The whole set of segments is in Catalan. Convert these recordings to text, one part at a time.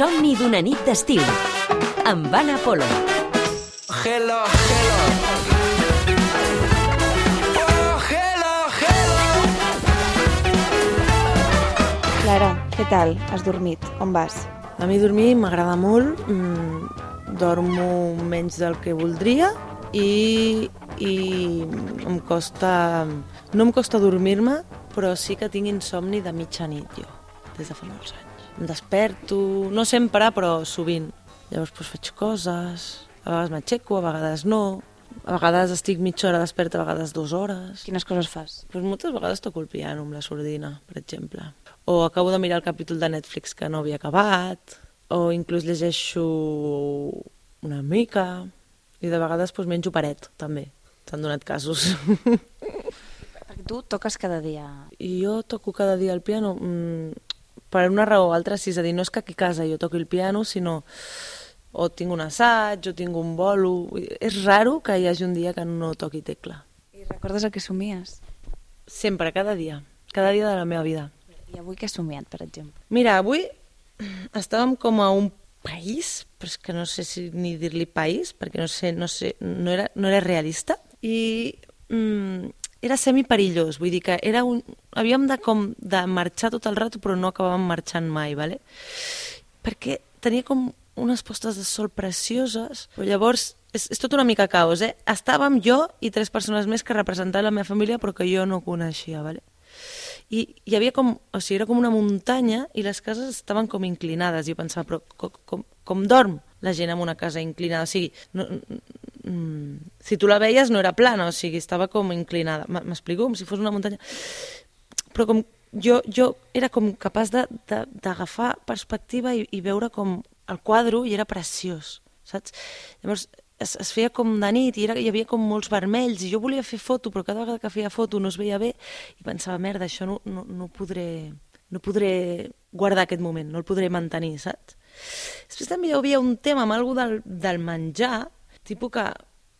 Somni d'una nit d'estiu, amb Anna Polo. Hello, hello. Oh, hello, hello. Clara, què tal? Has dormit? On vas? A mi dormir m'agrada molt, dormo menys del que voldria i em costa... No em costa dormir-me, però sí que tinc insomni de mitjanit, jo, des de fa molts anys. Em desperto, no sempre, però sovint. Llavors faig coses, a vegades m'aixeco, a vegades no, a vegades estic mitja hora desperta, a vegades 2 hores. Quines coses fas? Moltes vegades toco el piano amb la sordina, per exemple. O acabo de mirar el capítol de Netflix que no havia acabat, o inclús llegeixo una mica, i de vegades menjo paret, també. S'han donat casos. Perquè tu toques cada dia. I jo toco cada dia el piano per una raó o altra, és a dir, no és que aquí a casa jo toqui el piano, sinó o tinc un assaig, o tinc un bolo... És raro que hi hagi un dia que no toqui tecla. I recordes el que somies? Sempre, cada dia de la meva vida. I avui què has somiat, per exemple? Mira, avui estàvem com a un país, però és que no sé si ni dir-li país, perquè no era realista, i era semiperillós, vull dir que havíem de marxar tot el rato, però no acabàvem marxant mai, ¿vale? Perquè tenia com unes postes de sol precioses, però llavors és tot una mica caos, eh? Estàvem jo i 3 persones més que representaven la meva família, però que jo no coneixia, ¿vale? I hi havia era com una muntanya i les cases estaven com inclinades. I jo pensava, però com dorm la gent en una casa inclinada? O sigui, si tu la veies no era plana, o sigui, estava com inclinada. M'explico? Com si fos una muntanya. Però com jo era com capaç d'agafar perspectiva i veure com el quadre i era preciós, saps? Llavors es feia com de nit i hi havia com molts vermells i jo volia fer foto, però cada vegada que feia foto no es veia bé i pensava, merda, això no podré guardar aquest moment, no el podré mantenir, saps? Després també hi havia un tema amb algú del menjar, tipus que...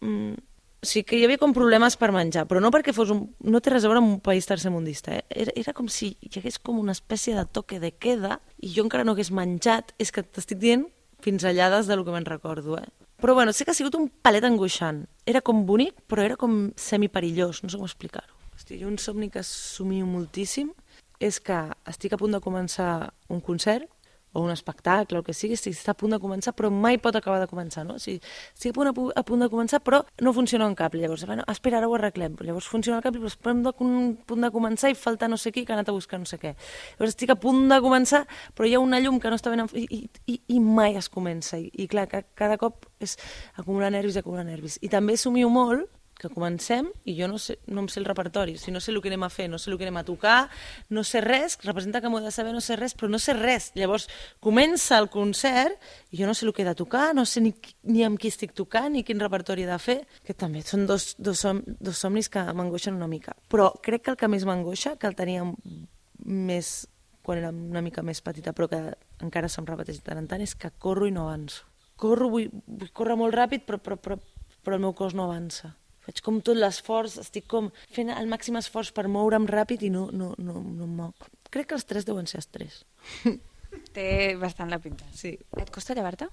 O sigui, que hi havia com problemes per menjar, però no perquè no té res a veure amb un país tercermundista, eh? Era com si hi hagués com una espècie de toque de queda i jo encara no hagués menjat, és que t'estic dient pinzellades del que me'n recordo, eh? Però bueno, sé que ha sigut un palet angoixant. Era com bonic, però era com semiperillós, no sé com explicar-ho. Hosti, jo un somni que somio moltíssim és que estic a punt de començar un concert o un espectacle, el que sigui, està a punt de començar, però mai pot acabar de començar, no? O sigui, estic a punt de començar, però no funciona un cable. Llavors, bueno, espera, ara ho arreglem. Llavors funciona el cable, però estem a punt de començar i falta no sé qui que ha anat a buscar no sé què. Llavors estic a punt de començar, però hi ha una llum que no està ben... I mai es comença. I clar, cada cop és acumular nervis. I també somio molt que comencem i jo no em sé el repertori, no sé el que anem a fer, no sé el que anem a tocar, no sé res, representa que m'ho he de saber, no sé res, però no sé res. Llavors comença el concert i jo no sé el que he de tocar, no sé ni amb qui estic tocant ni quin repertori he de fer, que també són dos somnis que m'angoixen una mica. Però crec que el que més m'angoixa, que el tenia més quan era una mica més petita, però que encara se'm repeteix de tant en tant, és que corro i no avanço. Vull córrer molt ràpid, però el meu cos no avança. Faig com tot l'esforç, estic com fent el màxim esforç per moure'm ràpid i no em moc. Crec que els 3 deuen ser els 3. Té bastant la pinta. Sí. Et costa llevar-te?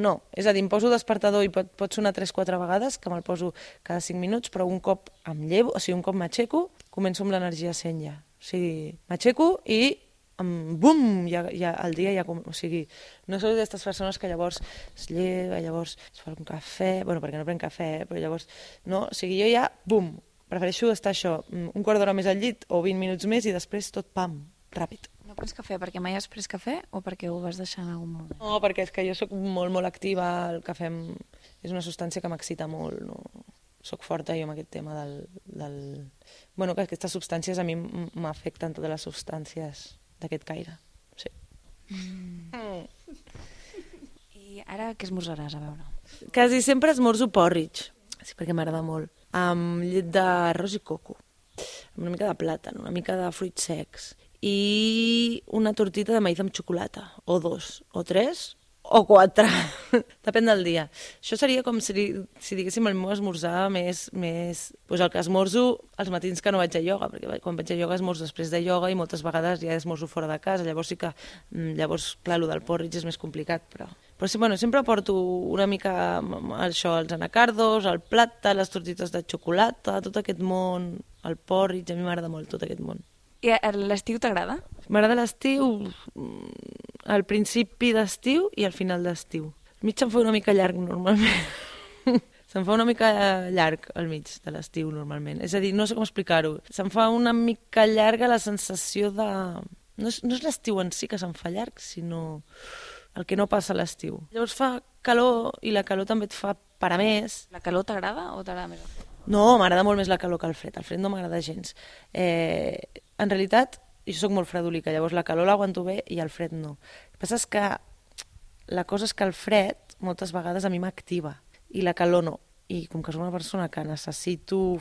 No, és a dir, em poso despertador i pot sonar 3-4 vegades, que me'l poso cada 5 minuts, però un cop em llevo, o sigui, un cop m'aixeco, començo amb l'energia 100 ja. O sigui, m'aixeco i bum, ja el dia ja... O sigui, no sou d'aquestes persones que llavors es lleva, llavors es fa un cafè... Bueno, perquè no prenc cafè, però llavors... No, o sigui, jo ja, bum, prefereixo estar això, un quart d'hora més al llit o 20 minuts més i després tot, pam, ràpid. No prens cafè perquè mai has pres cafè o perquè ho vas deixar en algun moment? No, perquè és que jo soc molt, molt activa, el cafè és una substància que m'excita molt, no? Soc forta jo amb aquest tema del... Bueno, que aquestes substàncies a mi m'afecten totes les substàncies d'aquest caire, sí. I ara què esmorzaràs, a veure? Quasi sempre esmorzo porridge, sí, perquè m'agrada molt, amb llet d'arròs i coco, amb una mica de plàtan, una mica de fruits secs, i una tortita de maïs amb xocolata, o 2, o 3, o 4. Depèn del dia. Això seria com si diguéssim el meu esmorzar més... Pues el que esmorzo els matins que no vaig a ioga, perquè quan vaig a ioga esmorzo després de ioga i moltes vegades ja esmorzo fora de casa, llavors sí que... Llavors, clar, el del porridge és més complicat, però sí, bueno, sempre porto una mica això, els anacardos, el plata, les tortites de xocolata, tot aquest món, el porridge, a mi m'agrada molt tot aquest món. I l'estiu t'agrada? M'agrada l'estiu, al principi d'estiu i al final d'estiu. Al mig se'm fa una mica llarg, normalment. Se'm fa una mica llarg al mig de l'estiu, normalment. És a dir, no sé com explicar-ho. Se'm fa una mica llarga la sensació de... No és l'estiu en si que se'm fa llarg, sinó el que no passa a l'estiu. Llavors fa calor i la calor també et fa parar més. La calor t'agrada o t'agrada més el fred? No, m'agrada molt més la calor que el fred. El fred no m'agrada gens. En realitat, jo soc molt fredolica, llavors la calor l'aguanto bé i el fred no. El que passa és que la cosa és que el fred moltes vegades a mi m'activa i la calor no. I com que soc una persona que necessito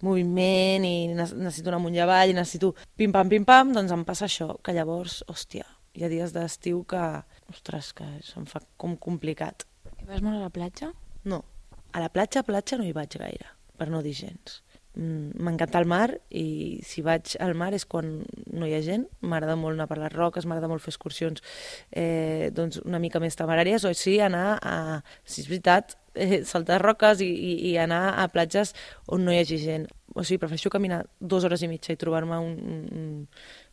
moviment i necessito anar amunt i avall i necessito pim-pam, doncs em passa això, que llavors, hòstia, hi ha dies d'estiu que, ostres, que se'm fa com complicat. I vas molt a la platja? No, a la platja no hi vaig gaire, per no dir gens. M'encanta el mar i si vaig al mar és quan no hi ha gent. M'agrada molt anar per les roques, m'agrada molt fer excursions doncs una mica més temeràries, o sí anar a, si és veritat, saltar roques i anar a platges on no hi hagi gent. O sigui, prefereixo caminar 2 hores i mitja i trobar-me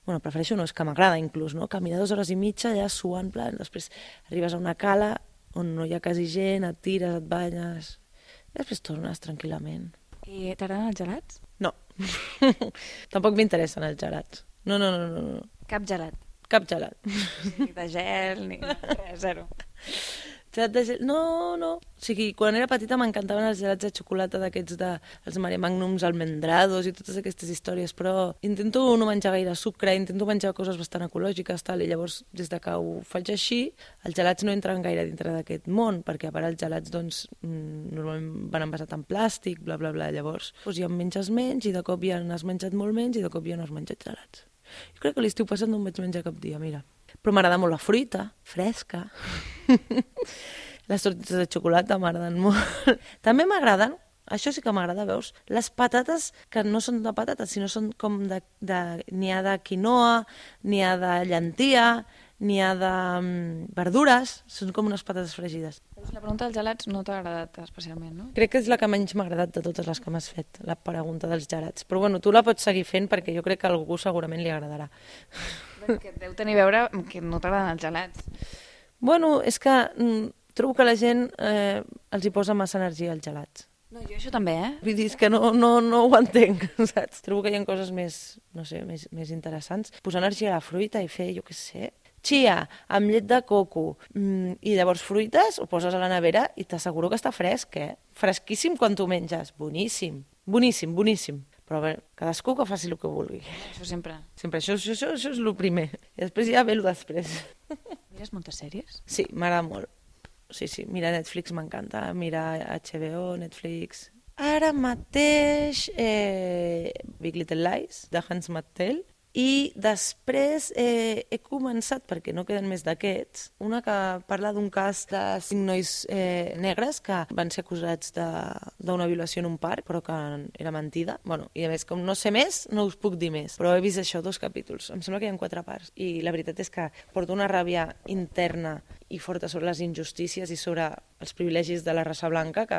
Bueno, prefereixo no, és que m'agrada inclús, no? Caminar 2 hores i mitja allà suant, plan, després arribes a una cala on no hi ha quasi gent, et tires, et banyes, i després tornes tranquil·lament. I t'agraden els gelats? No. Tampoc m'interessen els gelats. No. Cap gelat? Cap gelat. Ni de gel, ni res, zero. Gelat de gel... No. O sigui, quan era petita m'encantaven els gelats de xocolata d'aquests els Mare Magnums, almendrados i totes aquestes històries, però intento no menjar gaire sucre, intento menjar coses bastant ecològiques, tal, i llavors, des de que ho faig així, els gelats no entren gaire dintre d'aquest món, perquè a part els gelats, doncs, normalment van envasats en plàstic, bla, bla, bla, llavors ja en menges menys, i de cop ja n'has menjat molt menys, i de cop ja no has menjat gelats. Jo crec que l'estiu passat no em vaig menjar cap dia, mira. Però m'agrada molt la fruita, fresca. Les tortites de xocolata m'agraden molt. També m'agraden, això sí que m'agrada, veus, les patates que no són de patates, sinó són com n'hi ha de quinoa, n'hi ha de llentia, n'hi ha de verdures, són com unes patates fregides. La pregunta dels gelats no t'ha agradat especialment, no? Crec que és la que menys m'ha agradat de totes les que m'has fet, la pregunta dels gelats. Però bueno, tu la pots seguir fent perquè jo crec que a algú segurament li agradarà. Que deu tenir a veure que no t'agraden els gelats. Bueno, és que trobo que la gent els hi posa massa energia als gelats. No, jo això també, Vull dir, és que no ho entenc, saps? Trobo que hi ha coses més, no sé, més interessants. Posar energia a la fruita i fer, jo què sé, chia amb llet de coco i llavors fruites, ho poses a la nevera i t'asseguro que està fresc, Fresquíssim quan t'ho menges, boníssim, boníssim. Però a veure, cadascú que faci el que vulgui. Això sempre. Sempre, això és el primer. I després ja ve el després. Mires moltes sèries? Sí, m'agrada molt. Sí, mira Netflix m'encanta, mira HBO, Netflix. Ara mateix Big Little Lies, de Hans Mattel, i després he començat, perquè no queden més d'aquests, una que parla d'un cas de 5 nois negres que van ser acusats d'una violació en un parc, però que era mentida. Bueno, i a més, com no sé més, no us puc dir més. Però he vist això, 2 capítols. Em sembla que hi ha 4 parts. I la veritat és que porto una ràbia interna i forta sobre les injustícies i sobre els privilegis de la raça blanca que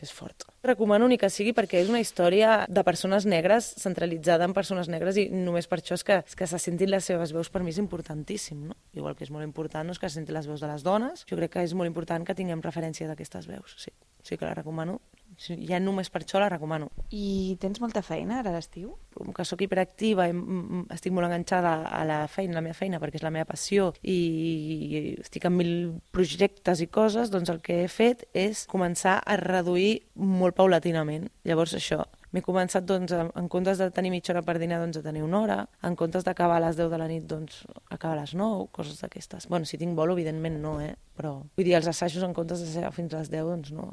és fort. Recomano ni que sigui perquè és una història de persones negres, centralitzada en persones negres, i només per això és que se sentin les seves veus. Per mi és importantíssim, no? Igual que és molt important que se sentin les veus de les dones, jo crec que és molt important que tinguem referència d'aquestes veus. Sí que la recomano. Ja només per això la recomano. I tens molta feina ara a l'estiu? Com que sóc hiperactiva i estic molt enganxada a la meva feina, perquè és la meva passió, i estic en 1000 projectes i coses, doncs el que he fet és començar a reduir molt paulatinament. Llavors això, m'he començat, doncs, en comptes de tenir mitja hora per dinar, doncs, a tenir 1 hora, en comptes d'acabar a les 10 de la nit, doncs, acabar a les 9, coses d'aquestes. Bueno, si tinc bolo, evidentment no, però vull dir, els assajos, en comptes de ser fins a les 10, doncs no.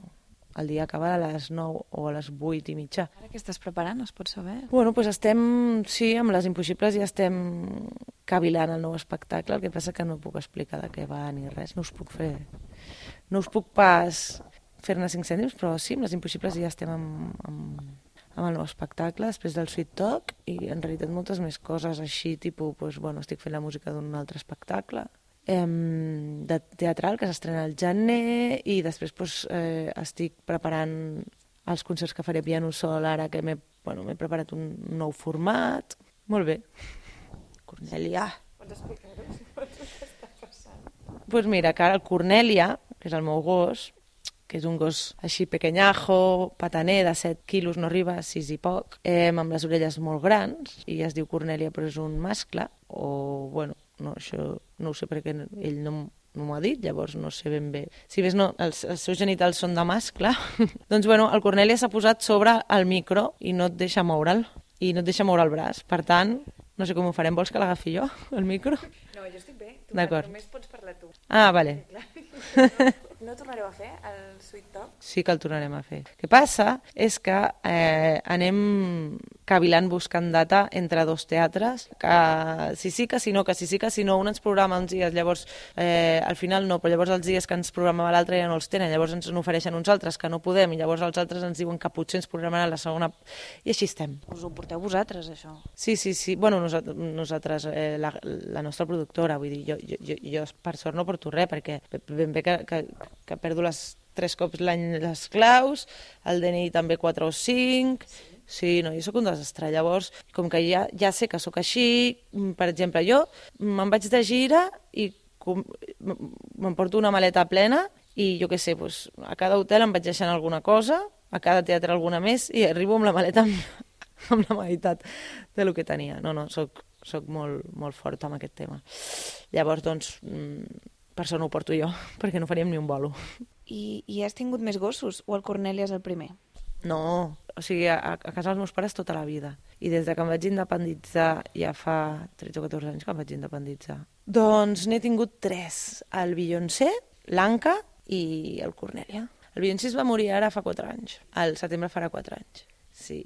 el dia acaba a les 9 o a les 8 i mitja. Ara què estàs preparant, es pot saber? Bueno, doncs sí, amb Les Impossibles ja estem cavilant el nou espectacle, el que passa que no puc explicar de què va ni res, no us puc pas fer-ne 5 cèntims, però sí, amb Les Impossibles ja estem amb el nou espectacle, després del Sweet Talk, i en realitat moltes més coses així, tipus, estic fent la música d'un altre espectacle, de teatral, que s'estrena al gener, i després estic preparant els concerts que faré piano sol, ara que m'he preparat un nou format. Molt bé. Cornèlia. Pots explicar-ho? Què està passant? Doncs mira, que ara el Cornèlia, que és el meu gos, que és un gos així pequeñajo, pataner, de 7 quilos, no arriba a 6 i poc, amb les orelles molt grans, i es diu Cornèlia, però és un mascle, no, això no ho sé perquè ell no m'ho ha dit, llavors no sé ben bé. Si ves, no, els seus genitals són de mascle, doncs el Cornèlia s'ha posat sobre el micro i no et deixa moure'l, i no et deixa moure el braç. Per tant, no sé com ho farem, vols que l'agafi jo, el micro? No, jo estic bé, només pots parlar tu. Ah, vale. No tornareu a fer el Sweet Talk? Sí que el tornarem a fer. El que passa és que anem cavilant buscant data entre 2 teatres, que si sí, que si no, un ens programa uns dies, llavors al final no, però llavors els dies que ens programava l'altre ja no els tenen, llavors ens n'ofereixen uns altres que no podem, i llavors els altres ens diuen que potser ens programaran la segona, i així estem. Us ho porteu vosaltres, això? Sí. Nosaltres, la nostra productora, vull dir, jo per sort no porto res, perquè ben bé que perdo 3 cops l'any les claus, el DNI també 4 o 5... Sí, no, jo sóc un desastre. Llavors, com que ja sé que sóc així, per exemple, jo me'n vaig de gira i m'emporto una maleta plena i jo què sé, a cada hotel em vaig deixant alguna cosa, a cada teatre alguna més, i arribo amb la maleta amb la meitat del que tenia. No, soc molt forta amb aquest tema. Llavors, doncs, per això no ho porto jo, perquè no faríem ni un bolo. I has tingut més gossos, o el Cornèlia és el primer? No, o sigui, a casa dels meus pares tota la vida. I des que em vaig independitzar, ja fa 13 o 14 anys que em vaig independitzar, doncs n'he tingut 3. El Beyoncé, l'Anca i el Cornèlia. El Beyoncé es va morir ara fa 4 anys. Al setembre farà 4 anys. Sí,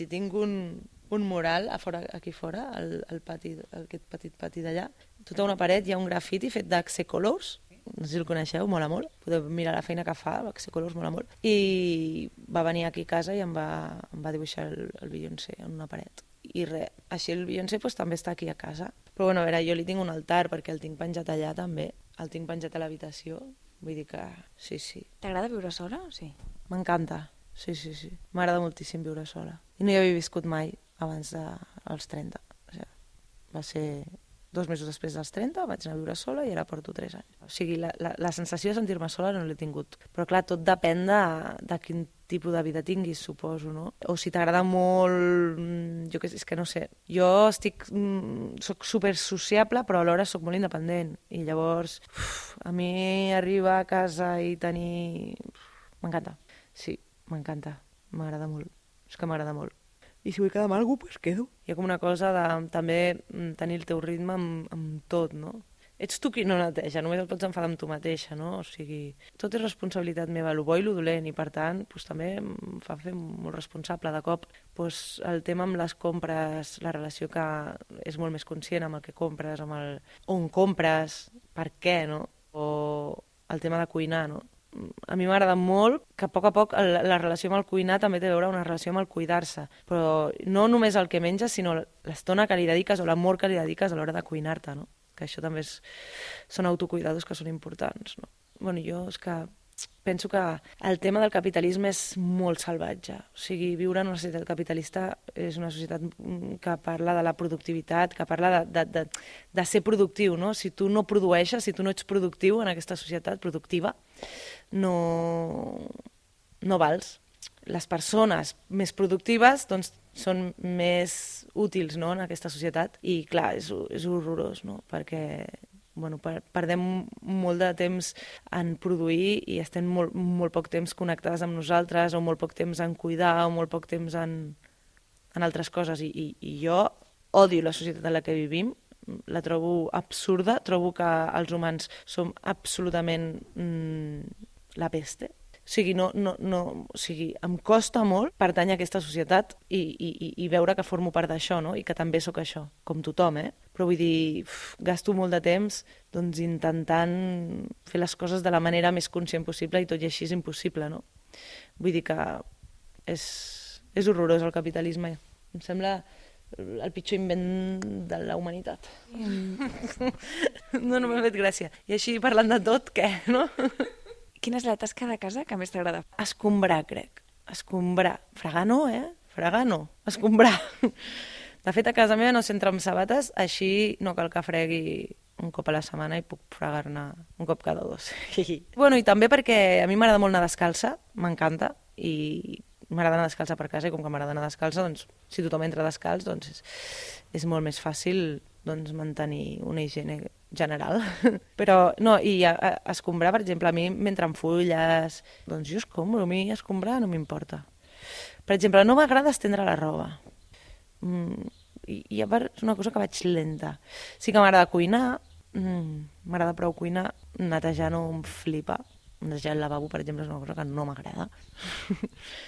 tinc un mural aquí fora, al pati, aquest petit pati d'allà. Tota una paret hi ha un grafiti fet d'Axe Colors, no sé si el coneixeu, mola molt, podeu mirar la feina que fa, Axe Colors mola molt, i va venir aquí a casa i em va dibuixar el Beyoncé en una paret. I res, així el Beyoncé també està aquí a casa. Però a veure, jo li tinc un altar perquè el tinc penjat allà també, el tinc penjat a l'habitació, vull dir que sí. T'agrada viure sola? Sí. M'encanta, sí. M'agrada moltíssim viure sola. I no hi havia viscut mai abans dels 30. O sigui, va ser 2 mesos després dels 30, vaig anar a viure sola i ara porto 3 anys. O sigui, la sensació de sentir-me sola no l'he tingut. Però clar, tot depèn de quin tipus de vida tinguis, suposo, no? O si t'agrada molt... Jo què sé, és que no sé. Jo soc super sociable, però alhora soc molt independent. I llavors, a mi arribar a casa i tenir... M'encanta. Sí, m'encanta. M'agrada molt. És que m'agrada molt. I si vull quedar amb algú, doncs quedo. Hi ha com una cosa de també tenir el teu ritme amb tot, no? Ets tu qui no neteja, només et pots enfadar amb tu mateixa, no? O sigui, tot és responsabilitat meva, lo bo i lo dolent, i per tant, també em fa fer molt responsable. De cop, el tema amb les compres, la relació que és molt més conscient amb el que compres, amb on compres, per què, no? O el tema de cuinar, no? A mi m'agrada molt que a poc la relació amb el cuinar també té a veure una relació amb el cuidar-se, però no només el que menges, sinó l'estona que li dediques o l'amor que li dediques a l'hora de cuinar-te, no? Que això també són autocuidados que són importants, no? Bueno, jo és que penso que el tema del capitalisme és molt salvatge. O sigui, viure en una societat capitalista és una societat que parla de la productivitat, que parla de ser productiu, no? Si tu no produeixes, si tu no ets productiu en aquesta societat productiva, no vals. Les persones més productives doncs, són més útils, no?, en aquesta societat, i clar, és horrorós, no?, perquè perdem molt de temps en produir i estem molt poc temps connectades amb nosaltres, o molt poc temps en cuidar, o molt poc temps en altres coses, i jo odio la societat en la que vivim, la trobo absurda, trobo que els humans som absolutament la peste. O sigui, em costa molt pertànyer a aquesta societat i veure que formo part d'això, no? I que també sóc això, com tothom, Però vull dir, gasto molt de temps doncs, intentant fer les coses de la manera més conscient possible i tot i així és impossible, no? Vull dir que és horrorós el capitalisme. Em sembla el pitjor invent de la humanitat. No m'ha fet gràcia. I així, parlant de tot, què, no? Quina és la tasca de casa que més t'agrada? Escombrar, crec. Escombrar. Fregar no, Fregar no. Escombrar. De fet, a casa meva no s'entra amb sabates, així no cal que fregui un cop a la setmana i puc fregar-ne un cop cada 2. Bueno, i també perquè a mi m'agrada molt anar descalça, m'encanta, i m'agrada anar descalça per casa, i com que m'agrada anar descalça, doncs, si tothom entra descalç, doncs és molt més fàcil doncs, mantenir una higiene general. Però, no, i escombrar, per exemple, a mi m'entren fulles, doncs jo escombro, a mi escombrar no m'importa. Per exemple, no m'agrada estendre la roba. I a part és una cosa que vaig lenta. Sí que m'agrada cuinar, m'agrada prou cuinar, netejar no em flipa. Netejar el lavabo, per exemple, és una cosa que no m'agrada.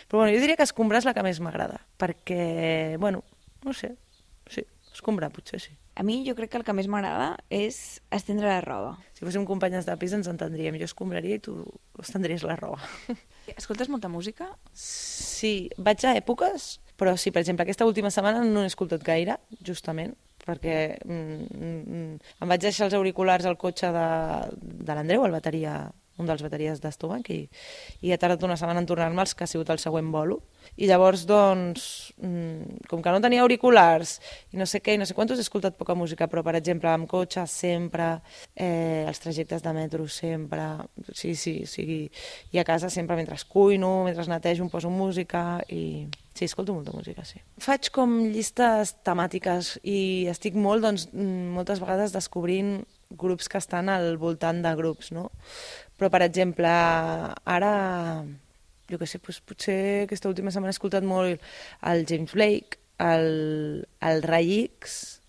Però bueno, jo diria que escombrar és la que més m'agrada, perquè, bueno, no sé, sí, escombrar potser sí. A mi jo crec que el que més m'agrada és estendre la roba. Si fóssim companyes de pis ens entendríem. Jo escombraria i tu estendries la roba. Escoltes molta música? Sí, vaig a èpoques, però sí, per exemple, aquesta última setmana no n'he escoltat gaire, justament, perquè em vaig deixar els auriculars al cotxe de l'Andreu, el bateria, un dels bateries d'Estomac, i he tardat una setmana en tornar-me'ls, que ha sigut el següent bolo. I llavors, doncs, com que no tenia auriculars i no sé què i no sé quantos, he escoltat poca música, però, per exemple, amb cotxe sempre, els trajectes de metro sempre, sí, i a casa sempre mentre cuino, mentre netejo em poso música i... Sí, escolto molta música, sí. Faig com llistes temàtiques i estic molt, doncs, moltes vegades descobrint grups que estan al voltant de grups, no? Però, per exemple, ara, jo què sé, doncs, potser aquesta última setmana he escoltat molt el James Blake, el Ray X,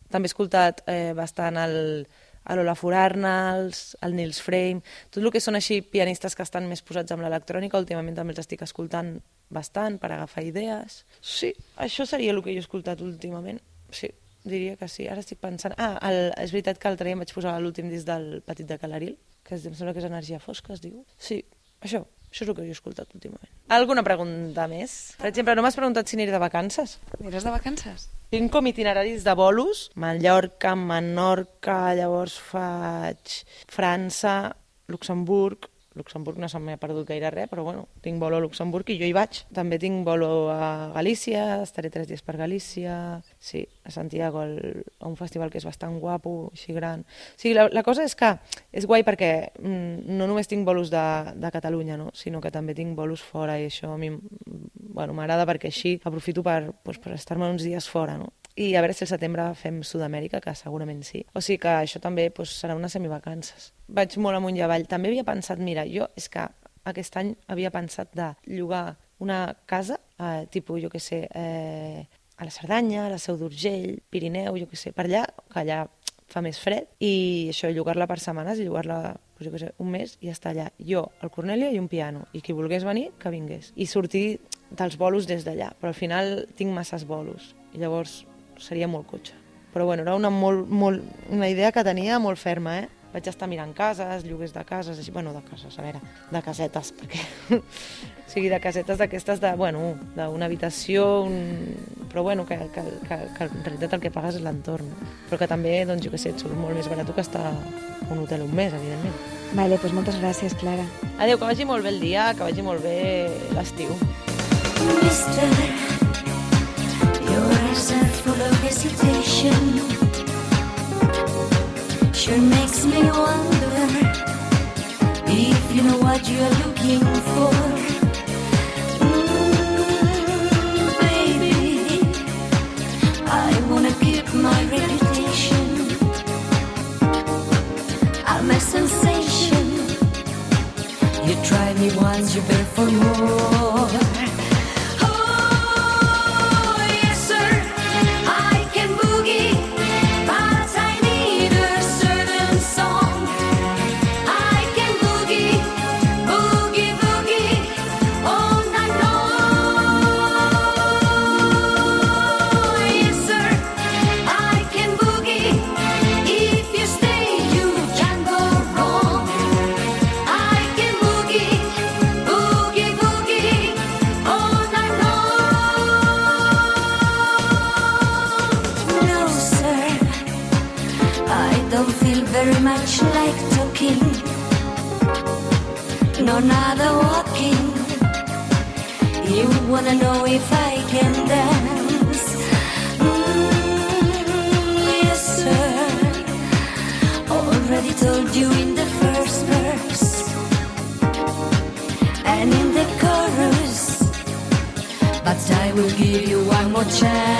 també he escoltat bastant el Olafur Arnalds, el Nils Fraim, tot el que són així pianistes que estan més posats amb l'electrònica, últimament també els estic escoltant bastant per agafar idees. Sí, això seria el que jo he escoltat últimament, sí. Diria que sí, ara estic pensant... és veritat que l'altre dia em vaig posar l'últim disc del Petit de Calaril, que em sembla que és Energia Fosca, es diu. Sí, això és el que jo he escoltat últimament. Alguna pregunta més? Per exemple, no m'has preguntat si aniré de vacances. Aniràs de vacances? Tinc com itineraris de bolos, Mallorca, Menorca, llavors faig França, Luxemburg no se m'ha perdut gaire res, però bueno, tinc bolo a Luxemburg i jo hi vaig. També tinc bolo a Galícia, estaré 3 dies per Galícia, sí, a Santiago, a un festival que és bastant guapo, així gran. O sigui, la cosa és que és guai perquè no només tinc bolos de Catalunya, no? Sinó que també tinc bolos fora i això a mi m'agrada perquè així aprofito per estar-me uns dies fora, no? I a veure si al setembre fem Sud-amèrica, que segurament sí. O sigui que això també serà unes semivacances. Vaig molt amunt i avall. També havia pensat, mira, jo és que aquest any havia pensat de llogar una casa, tipus, jo què sé, a la Cerdanya, a la Seu d'Urgell, Pirineu, jo què sé, per allà, que allà fa més fred, i això, llogar-la per setmanes i llogar-la, jo què sé, un mes i estar allà. Jo, el Cornèlia i un piano, i qui volgués venir, que vingués. I sortir dels bolos des d'allà, però al final tinc masses bolos, i llavors seria molt cotxe. Però bueno, era una idea que tenia molt ferma, Vaig estar mirant cases, lloguers de cases, així, bueno, de cases, a veure, de casetes, perquè... o sigui, de casetes d'aquestes d'una habitació, però bueno, que en realitat el que pagues és l'entorn, però que també, doncs, jo què sé, et surt molt més barat que estar a un hotel un mes, evidentment. Vale, doncs moltes gràcies, Clara. Adéu, que vagi molt bé el dia, que vagi molt bé l'estiu. Mister, your eyes are full of hesitation. Sure makes me wonder if you know what you're looking for. Baby, I wanna keep my reputation. I'm a sensation. You try me once, you beg for more. Boogie, boogie. much like talking, no nada walking. You wanna know if I can dance? Yes, sir. Already told you in the first verse and in the chorus, but I will give you one more chance.